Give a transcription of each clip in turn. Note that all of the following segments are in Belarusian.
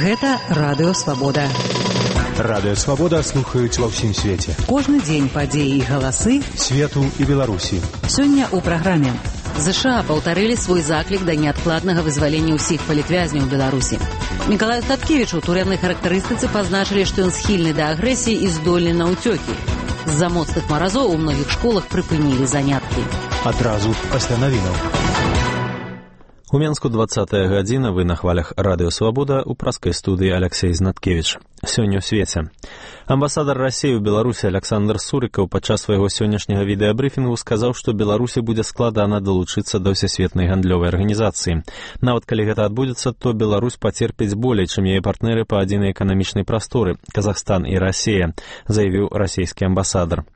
Гэта Радыё Свабода. Радыё Свабода слухаюць ва ўсім свеце. Кожны дзень падзеі і галасы свету і Беларусі. Сёння ў праграме. ЗША паўтарылі свой заклік да неадкладнага вызвалення ўсіх палітвязняў Беларусі. Мікалаю Статкевічу ў турэмнай характарыстыцы пазначылі, што ён схільны да агрэсіі і здольны на ўцёкі. З-за моцных маразоў у многіх школах прыпынілі заняткі. Адразу пасля навінаў. У Менску 20-я гадзіна, вы на хвалях Радыё Свабода, у праскай студыі Алексей Знаткевіч. Сёння ў свеце. Амбасадар Расіі ў Беларусі Александр Сурыкаў падчас свайго сённяшняга відэабрыфінгу сказаў, што Беларусі будзе складана далучыцца да ўсесветнай гандлёвай арганізацыі. Нават калі гэта адбудзецца, то Беларусь пацерпіць болей, чым яе партнеры па адзінай эканамічнай прасторы – Казахстан і Расія, заявіў расійскі амбасадар.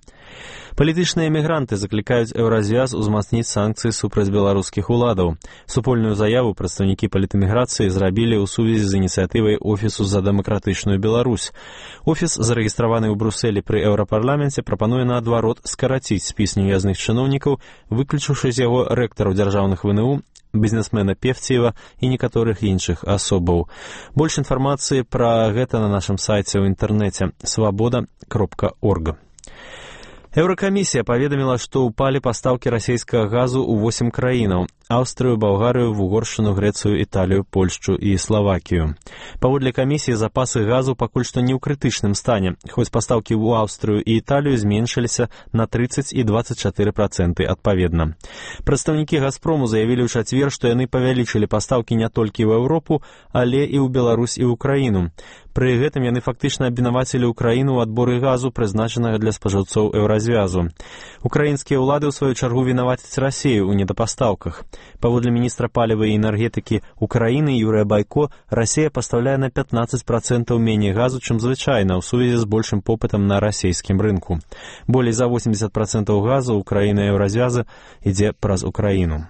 Палітычныя эмігранты заклікаюць Еўразвяз узмацніць санкцыі супраць беларускіх уладаў. Супольную заяву прадстаўнікі палітэміграцыі зрабілі ў сувязі з ініцыятывай Офісу за дэмакратычную Беларусь. Офіс, зарэгістраваны ў Брусэлі пры Еўрапарламенце, прапануе наадварот скараціць спіс неўязных чыноўнікаў, выключыўшы з яго рэктараў дзяржаўных ВНУ, бізнесмена Певціева і некаторых іншых асобаў. Больш інфармацыі пра гэта на нашым сайце ў інтэрнэце свабода.орг. Еўракамісія паведаміла, што ўпалі пастаўкі расійскага газу ў 8 краінаў – Аўстрыю, Балгарыю, Вугоршчыну, Грэцыю, Італію, Польшчу і Славакію. Паводле камісіі, запасы газу пакуль што не ў крытычным стане, хоць пастаўкі ў Аўстрыю і Італію зменшыліся на 30 і 24% адпаведна. Прадстаўнікі «Газпрому» заявілі ў чацвер, што яны павялічылі пастаўкі не толькі ў Еўропу, але і ў Беларусь і ў Украіну. Пры гэтым яны фактычна абвінавацілі Украіну ў адборы газу, прызначанага для спажыўцоў Еўразвязу. Украінскія ўлады, ў сваю чаргу, вінавацяць Расію ў недапастаўках. Паводле міністра паліва і энергетыкі Украіны Юрыя Байко, Расія пастаўляе на 15% меней газу, чым звычайна, ў сувязі з большым попытам на расійскім рынку. Болей за 80% газу Украіны і Еўразвяза ідзе праз Украіну.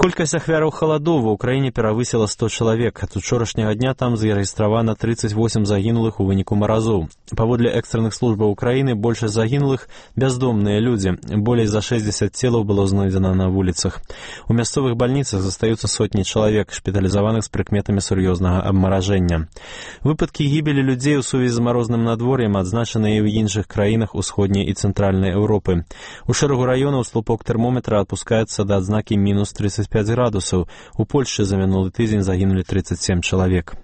Колькасць ахвяраў халадоў ва ўкраіне перавысіла 100 чалавек. Ад учорашняга дня там зарэгістравана 38 загінулых у выніку маразоў. Паводле экстранных службаў Украіны, большасць загінулых – бяздомныя людзі. Болей за 60 целаў было знойдзена на вуліцах. У мясцовых бальніцах застаюцца сотні чалавек, шпіталізаваных з прыкметамі сур'ёзнага абмаражэння. Выпадкі гібелі людзей у сувязі з марозным надвор'ем адзначаны і ў іншых краінах усходняй і цэнтральнай Еўропы. У шэрагу раёнаў слупок тэрмометра адпускаецца да адзнакі мінус 35 градусаў. У Польшчы за мінулы тыдзень загінулі 37 чалавек.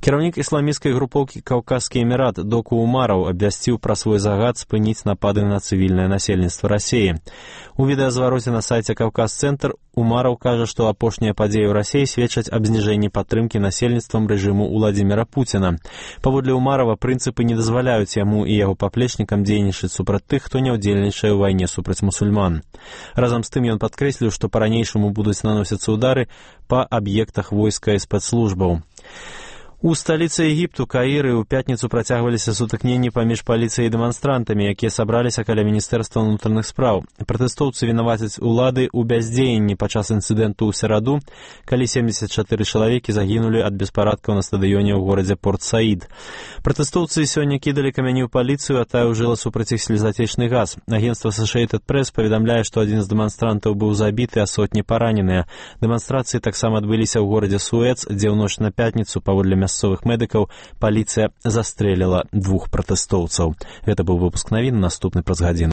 Кіраўнік ісламісцкай групоўкі «Каўказскі эмірат» Доку Умараў абвясціў пра свой загад спыніць напады на цывільнае насельніцтва Расіі. У відэазвароце на сайце «Каўказ-цэнтр» Умараў кажа, што апошнія падзеі ў Расіі сведчаць аб зніжэнні падтрымкі насельніцтвам рэжыму Уладзіміра Пуціна. Паводле Умарава, прынцыпы не дазваляюць яму і яго паплечнікам дзейнічаць супраць тых, хто не ўдзельнічае ў вайне супраць мусульман. Разам з тым ён падкрэсліў, што па-ранейшаму будуць наносіцца ўдары па аб'ектах войска і спецслужбаў. У сталіцы Егіпту, Каіры, у пятніцу працягваліся сутыкненні паміж паліцыяй і дэманстрантамі, якія сабраліся каля Міністэрства ўнутраных спраў. Пратэстоўцы вінавацяць улады ў бяздзеянні падчас інцыдэнту ў сераду, калі 74 чалавекі загінулі ад беспарадкаў на стадыёне ў горадзе Порт-Саід. Пратэстоўцы сёння кідалі камяні ў паліцыю, а тая ўжыла супраць іх слезатечны газ. Агенцтва Associated Press паведамляе, што адзін з дэманстрантаў быў забіты, а сотні параненыя. Дэманстрацыі таксама адбыліся ў горадзе Суэц, дзе ў ноч на пятніцу, паводле мясцовых медыкаў, паліцыя застрэліла 2 пратэстоўцаў. Гэта быў выпуск навін, наступны праз гадзіну.